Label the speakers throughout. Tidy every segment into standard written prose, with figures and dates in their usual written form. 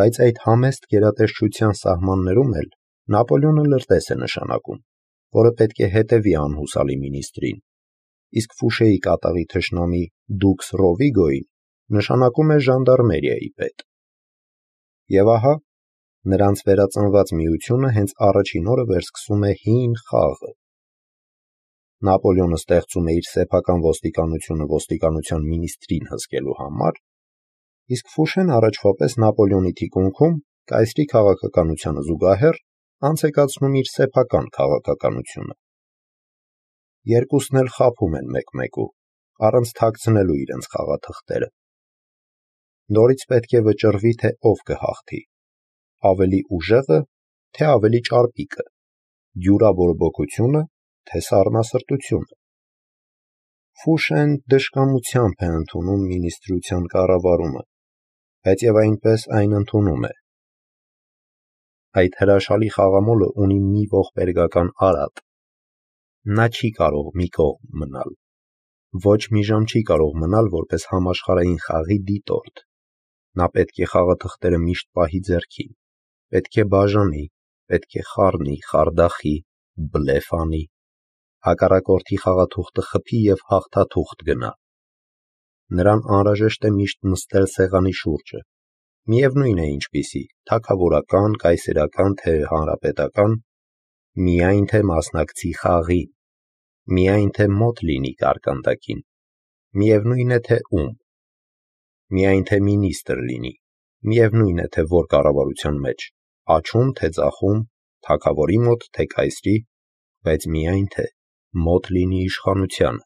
Speaker 1: բայց այդ համեստ գերատեսչության սահմաններում էլ Նապոլեոնը լրտես է նշանակում, որը պետք է հետևի անհուսալի մինիստրին, իսկ Ֆուշեի կատաղի թշնամի դուքս Ռովիգոին նշանակում է ժանդարմերիայի պետ։ Եվ ահա, նրանց վերածնված միությունը հենց առաջին օրը վերսկսում է հին խաղը։ Նապոլեոնը ստեղծում է իր սեփական ոստիկանությունը ոստիկանության մինիստրին հսկելու համար, իսկ Ֆուշեն առաջվա պես Նապոլեոնի թիկունքում կայսրի քաղաքականությանը զուգահեռ անց է կացնում իր սեփական քաղաքականությունը։ Երկուսն էլ խաբում են մեկ-մեկու, առանց թաքցնելու իրենց խաղաթղթերը։ Նորից պետք է վճռվի, թե ով կհաղթի, ավելի ուժեղը, թե ավելի ճարպիկը, դյուրաբորբոքությունը, թե սառնասրտությունը։ Ֆուշեն դժկամությամբ է ընդունում մինիստրության կառավարումը, բայց եւ այնպես այն ընդունում է։ Այդ հրաշալի խաղամոլը ունի մի ողբերգական արատ։ Նա չի կարող մի կողմ մնալ, ոչ մի ժամ չի կարող մնալ որպես համաշխարհային խաղի դիտորդ։ Նա պետք է խաղաթղթերը միշտ պահի ձեռքին, պետք է բաժանի, պետք է խառնի, խարդախի, բլեֆ անի, հակառակորդի խաղաթուղթը խփի եւ հաղթաթուղթ գնա։ Նրան անհրաժեշտ է միշտ նստել սեղանի շուրջը, միևնույն է ինչպիսի, թագավորական, կայսերական, թե հանրապետական, միայն թե մասնակցի խաղին, միայն թե մոտ լինի կարկանդակին, միևնույն է թե ում, միայն թե մինիստր լինի, միևնույն է թե որ կառավարության մեջ, աջում թե ձախում, թագավորի մոտ թե կայսրի, բայց միայն թե մոտ լինի իշխանությանը։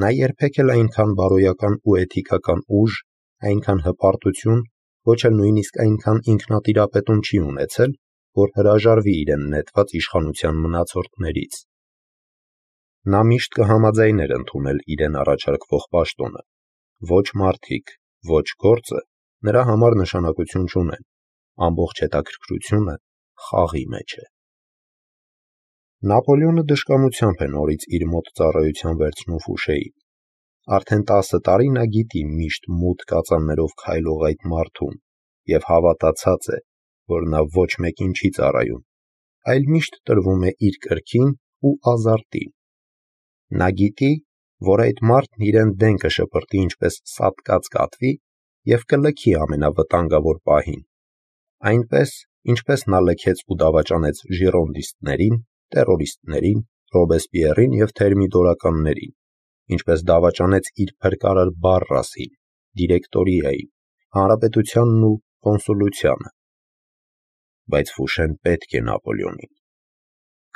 Speaker 1: Նա երբեք էլ այնքան բարոյական ու էթիկական ուժ, այնքան հպարտություն, ոչ էլ նույնիսկ այնքան ինքնատիրապետում չի ունեցել, որ հրաժարվի իրեն նետված իշխանության մնացորդներից։ Նա միշտ կհամաձայներ ընդունել իրեն առաջարկվող պաշտոնը, ոչ մարդիկ, ոչ գործը նրա համար նշանակություն չունեն, ամբողջ հետաքրքրությունը խաղի մեջ է։ Նապոլեոնը դժկամությամբ է նորից իր մոտ ծառայության վերցնում Ֆուշեին։ Արդեն 10 տարի նա գիտի միշտ մութ կածաններով քայլող այդ մարդուն եւ հավատացած է, որ նա ոչ մեկին չի ծառայում, այլ միշտ տրվում է իր կրքին ու ազարտին։ Նա գիտի, որ այդ մարդն իրեն դեն կշպրտի ինչպես սատկած կատվի եւ կլքի ամենավտանգավոր պահին, այնպես, ինչպես նա լքեց ու դավաճանեց ժիրոնդիստներին, տերորիստներին, Ռոբեսպիերին եւ թերմիդորականներին, ինչպես դավաճանեց իր փրկարար Բարրասին, դիրեկտորիային, հանրապետությանն ու կոնսուլությանը։ Բայց Ֆուշեն պետք է Նապոլեոնին,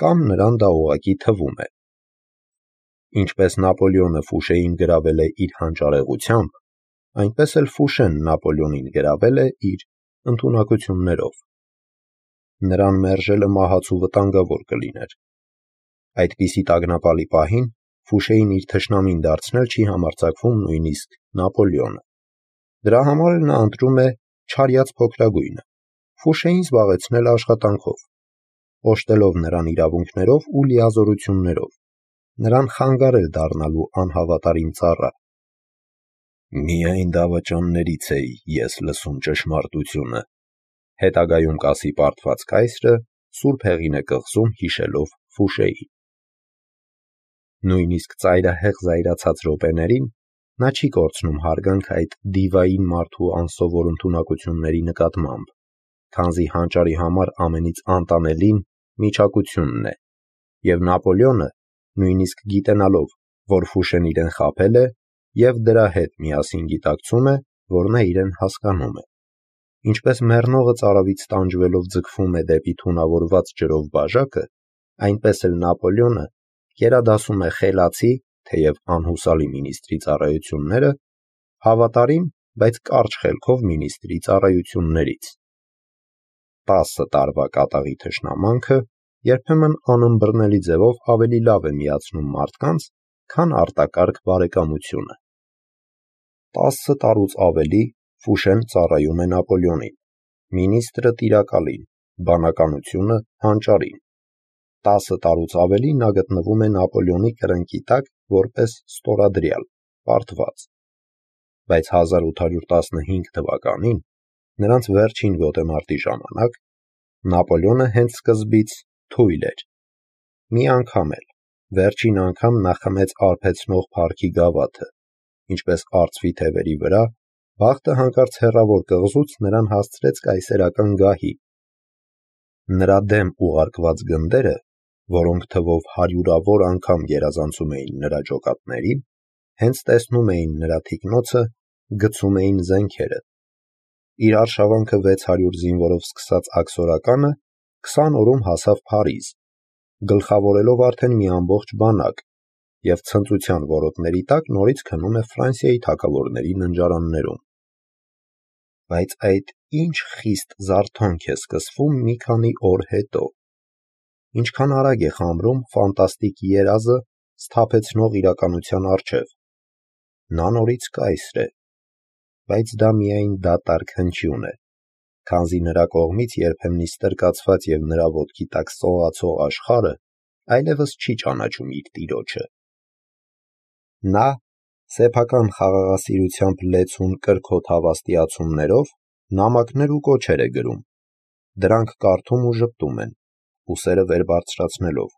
Speaker 1: կամ նրան դա ուղղակի թվում է։ Ինչպես Նապոլեոնը Ֆուշեին գրավել է իր հանճարեղությամբ, այնպես էլ Ֆուշեն Նապոլեոնին գրավել է իր ընդունակություններով։ Նրան մերժելը մահացու վտանգավոր կլիներ։ Այդպիսի տագնապալի պահին Ֆուշեին իր թշնամին դարձնել չի համարձակվում նույնիսկ Նապոլեոնը։ Դրա համար էլ նա ընտրում է չարյաց փոքրագույնը, Ֆուշեին զբաղեցնել աշխատանքով, օժտելով նրան իրավունքներով ու լիազորություններով, նրան խանգարել դառնալու անհավատարիմ ծառա։ Միայն դավաճաններից էի ես լսում ճշմարտությունը, հետագայում կասի պարտված կայսրը, սուրբ հեղին է կղզում հիշելով Ֆուշեին։ Նույնիսկ ծայրահեղ զայրացած րոպեներին նա չի կորցնում հարգանք այդ դիվային մարդու անսովոր ընդունակությունների նկատմամբ, քանզի հանճարի համար ամենից անտանելին միջակությունն է, եւ Նապոլեոնը, նույնիսկ գիտենալով, որ Ֆուշեն իրեն խաբել է, եւ դրա հետ միասին գիտակցում է, որ նա իրեն հասկանում է։ Ինչպես մեռնողը ծարավից տանջվելով ձգվում է դեպի թունավորված ջրով բաժակը, այնպես էլ Նապոլեոնը գերադասում է խելացի, թեև անհուսալի մինիստրի ծառայությունները, հավատարիմ, բայց կարճ խելքով մինիստրի ծառայություններից։ 10 տարվա կատաղի թշնամանքը երբեմն անըմբռնելի ձևով ավելի լավ է միացնում մարդկանց, քան արտակարգ բարեկամությունը։ 10 տարուց ավելի Ֆուշեն ծառայում է Նապոլեոնին, մինիստրը տիրակալին, բանականությունը հանճարին։ 10 տարուց ավելի նա գտնվում է Նապոլեոնի կրնկի տակ որպես ստորադրյալ, պարտված։ Բայց 1815 թվականին նրանց վերջին գոտեմարտի ժամանակ, Նապոլեոնը հենց սկզբից թույլ էր։ Մի անգամ էլ, վերջին անգամ նա խմեց արբեցնող փառքի գավաթը, ինչպես արծվի թևերի վրա, բախտը հանկարծ հեռավոր կղզուց նրան հասցրեց կայսերական գահի։ Նրա դեմ ուղարկված գնդերը, որոնք թվով հարյուրավոր անգամ գերազանցում էին նրա ջոկատներին, հենց տեսնում էին նրա թիկնոցը, գցում էին զենքերը։ Իր արշավանքը 600 զինվորով սկսած աքսորականը 20 օրում հասավ Փարիզ, գլխավորելով արդեն մի ամբողջ բանակ, և ցնծության որոտների տակ նորից քնում է Ֆրանսիայի թագավորների ննջարաններում։ Բայց այդ ինչ խիստ զարթոնք է սկսվում մի քանի օր հետո։ Ինչքան արագ է խամրում ֆանտաստիկ երազը սթափեցնող իրականության առջև։ Նա նորից կայսր է, բայց դա միայն դատարկ հնչյուն է, քանզի նրա կողմից երբեմնի ստրկացված և նրա ոտքի տակ սողացող աշխարհը այլևս չի ճանաչում իր տիրոջը։ Նա սեփական խաղաղասիրությամբ լեցուն կրքոտ հավաստիացումներով նամակներ ու կոչեր է գրում, դրանք կարդում ու ժպտում են, ուսերը վեր բարձրացնելով,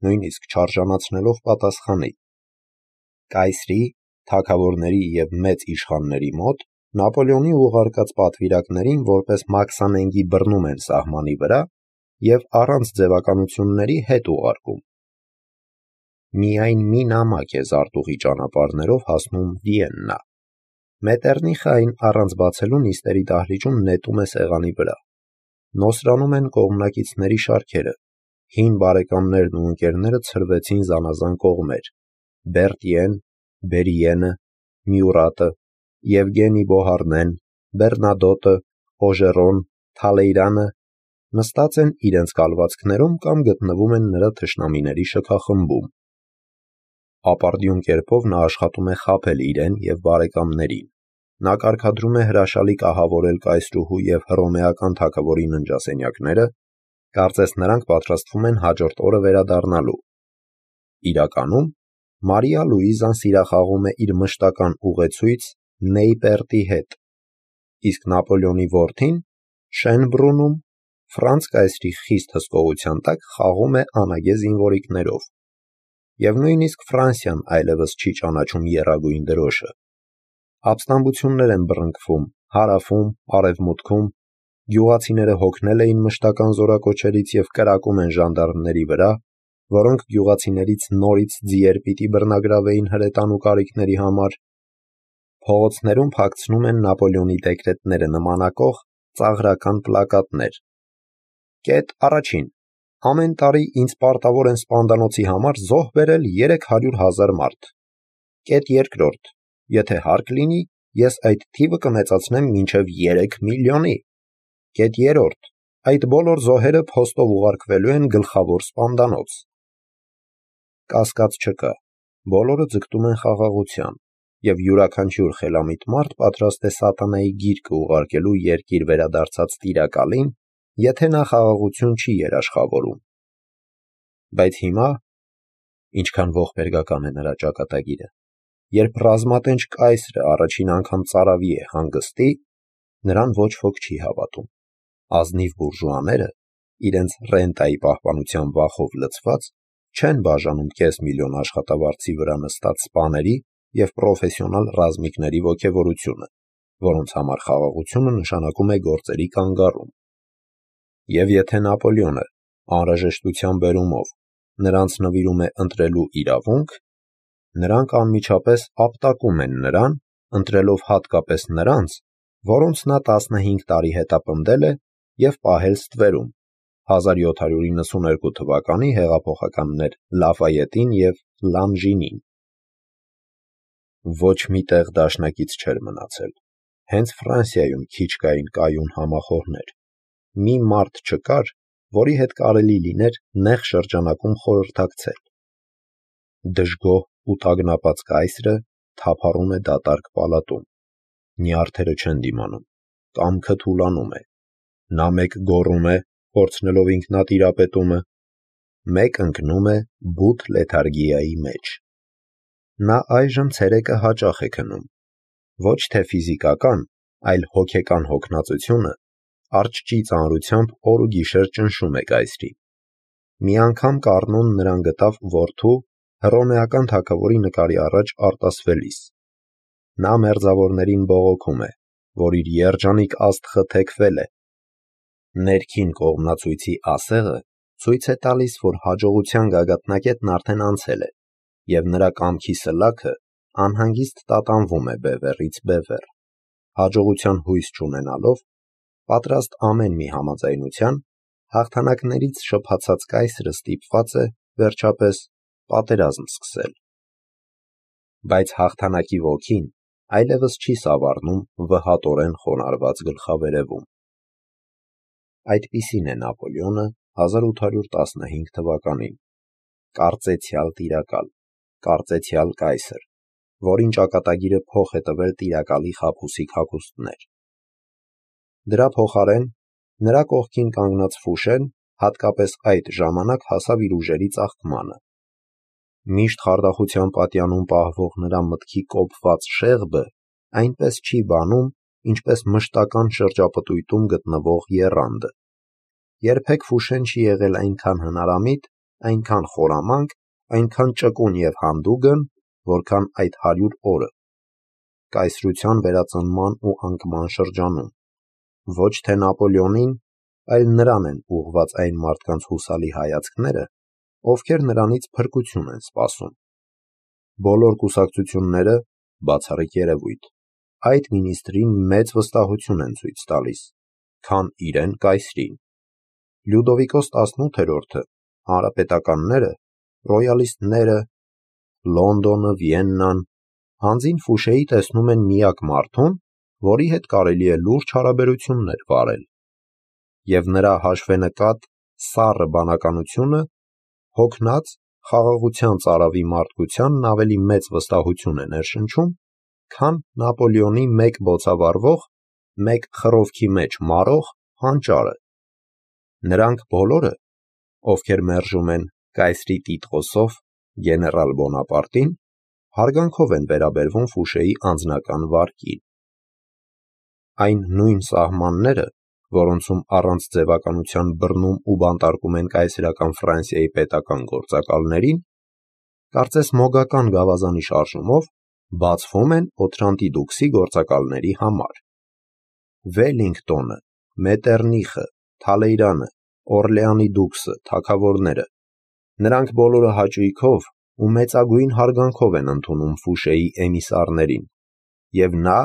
Speaker 1: նույնիսկ չարժանացնելով պատասխանի։ Կայսրի, թագավորների և մեծ իշխանների մոտ Նապոլեոնի ուղարկած պատվիրակներին որպես մաքսանենգի բռնում են սահմանի վրա և առանց ձևականությունների հետ ուղարկում։ Միայն մի նամակ է զարտուղի ճանապարհներով հասնում Վիեննա։ Մետեռնիխը այն առանց բացելու նիստերի դահլիճում նետում է սեղանի վրա։ Նոսրանում են կողմնակիցների շարքերը, հին բարեկամներն ու ընկերները ցրվեցին զանազան կողմեր. Բերտիեն, Բերիենը, Մյուրատը, Եվգենի Բոհարնեն, Բեռնադոտը, Օժերոն, Թալեյրանը նստած են իրենց կալվածքներում կամ գտնվում են նրա թշնամիների շքախմբում։ Ապարդյուն կերպով նա աշխատում է խաբել իրեն և բարեկամներին։ Նա կարգադրում է հրաշալի կահավորել կայսրուհու և հռոմեական թագավորի ննջասենյակները, կարծես նրանք պատրաստվում են հաջորդ օրը վերադառնալու։ Իրականում Մարիա Լուիզան սիրախաղում է իր մշտական ուղեցույց Նեյպերտի հետ, իսկ Նապոլեոնի որդին Շենբրունում Ֆրանց կայսրի խիստ հսկողության տակ խաղում է անագե զինվորիկներով։ Եվ նույնիսկ Ֆրանսիան այլևս չի ճանաչում եռագույն դրոշը։ Ապստամբություններ են բռնկվում հարավում, արևմուտքում, գյուղացիները հոգնել էին մշտական զորակոչերից և կրակում են ժանդարմների վրա, որոնք գյուղացիներից նորից ձիեր պիտի բռնագրավեին հրետանու կարիքների համար։ Փողոցներում փակցնում են Նապոլեոնի դեկրետները նմանակող ծաղրական պլակատներ։ Կետ առաջին. ամեն տարի ինձ պարտավոր են սպանդանոցի համար զոհ բերել 300,000 մարդ։ Կետ երկրորդ. եթե հարկ լինի, ես այդ թիվը կմեծացնեմ մինչև 3 միլիոնի։ Կետ երրորդ. այդ բոլոր զոհերը փոստով ուղարկվելու են գլխավոր սպանդանոց։ Կասկած չկա, բոլորը ձգտում են խաղաղության, և յուրաքանչյուր խելամիտ մարդ պատրաստ է սատանայի գիրկը ուղարկելու երկիր վերադարձած տիրակալին, եթե նա խաղաղություն չի երաշխավորում։ Բայց հիմա, ինչքան ողբերգական է նրա ճակատագիրը, երբ ռազմատենչ կայսրը առաջին անգամ ծարավի է հանգստի, նրան ոչ ոք չի հավատում։ Ազնիվ բուրժուաները, իրենց ռենտայի պահպանության վախով լցված, չեն բաժանում կես միլիոն աշխատավարձի վրա նստած սպաների և պրոֆեսիոնալ ռազմիկների ոգևորությունը, որոնց համար խաղաղությունը նշանակում է գործերի կանգառում։ Եվ եթե Նապոլեոնը անհրաժեշտության բերումով նրանց նվիրում է ընտրելու իրավունք, նրանք անմիջապես ապտակում են նրան, ընտրելով հատկապես նրանց, որոնց նա 15 տարի հետապնդել է և պահել ստվերում 1792 թվականի հեղափոխականներ Լաֆայետին և Լանժինին։ Ոչ մի տեղ դաշնակից չէր մնացել։ Հենց Ֆրանսիայում քիչ կային կայուն համախոհներ։ Մի մարդ չկար, որի հետ կարելի լիներ նեղ շրջանակում խորհրդակցել։ Դժգոհ ու տագնապած կայսրը թափառում է դատարկ պալատում։ Նյարդերը չեն դիմանում, կամքը թուլանում է։ Նա մեկ գոռում է, կորցնելով ինքնատիրապետումը, մեկ ընկնում է բութ լեթարգիայի մեջ։ Նա այժմ ցերեկը հաճախ է քնում։ Ոչ թե ֆիզիկական, այլ հոգեկան հոգնածությունը արջճի ծանրությամբ օր ու գիշեր ճնշում է կայսրին։ Մի անգամ Կառնոն նրան գտավ որդու հռոմեական թագավորի նկարի առաջ արտասվելիս։ Նա մերձավորներին բողոքում է, որ իր երջանիկ աստղը թեքվել է։ Ներքին կողմնացույցի ասեղը ցույց է տալիս, որ հաջողության գագաթնակետն արդեն անցել է, և նրա կամքի սլաքը անհանգիստ տատանվում է բևեռից բևեռ։ Հաջողության հույս չունենալով, պատրաստ ամեն մի համաձայնության, հաղթանակներից շփացած կայսրը ստիպված է, վերջապես, պատերազմ սկսել։ Բայց հաղթանակի ոգին այլևս չի սավառնում վհատորեն խոնարհված գլխավերևում։ Այդպիսին է Նապոլեոնը 1815 թվականին, կարծեցյալ տիրակալ, կարծեցյալ կայսր, որին ճակատագիրը փոխ է տվել տիրակալի խաբուսիկ հագուստներ։ Դրա փոխարեն նրա կողքին կանգնած Ֆուշեն հատկապես այդ ժամանակ հասավ իր ուժերի ծաղկմանը։ Միշտ խարդախության պատյանում պահվող նրա մտքի կոփված շեղբը այնպես չի բանում, ինչպես մշտական շրջապտույտում գտնվող եռանդը։ Երբեք Ֆուշեն չի եղել այնքան հնարամիտ, այնքան խորամանկ, այնքան ճկուն և հանդուգն, որքան այդ 100 օրը։ Կայսրության վերածնման ու անկման շրջանում։ Ոչ թե Նապոլեոնին, այլ նրան են ուղղված այն մարդկանց հուսալի հայացքները, ովքեր նրանից փրկություն են սպասում։ Բոլոր կուսակցությունները, բացառիկ երևույթ, այդ մինիստրին մեծ վստահություն են ցույց տալիս, քան իրեն կայսրին։ Լյուդովիկոս 18-րդը, հանրապետականները, ռոյալիստները, Լոնդոնը, Վիեննան հանձին Ֆուշեի տեսնում են միակ մարդուն, որի հետ կարելի է լուրջ հարաբերություններ վարել։ Եվ նրա հաշվենկատ սառը բանականությունը հոգնած խաղաղության ծարավի մարդկությանն ավելի մեծ վստահություն է ներշնչում, քան Նապոլեոնի մեկ բոցավառվող, մեկ խռովքի մեջ մարող հանճարը։ Նրանք բոլորը, ովքեր մերժում են կայսրի տիտղոսով գեներալ Բոնապարտին, հարգանքով են վերաբերվում Ֆուշեի անձնական վարկին։ Այն նույն սահմանները, որոնցում առանց ձևականության բռնում ու բանտարկում են կայսերական Ֆրանսիայի պետական գործակալներին, կարծես մոգական գավազանի շարժումով բացվում են Օթրանտի դուքսի գործակալների համար։ Վելլինգտոնը, Մետերնիխը, Թալեյրանը, Օրլեանի դուքսը, թագավորները, նրանք բոլորը հաճույքով ու մեծագույն հարգանքով են ընդունում Ֆուշեի էմիսարներին, և նա,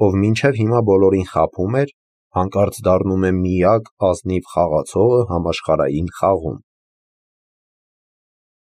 Speaker 1: ով մինչև հիմա բոլորին խաբում էր, հանկարծ դառնում է միակ ազնիվ խաղացողը համաշխարհային խաղում։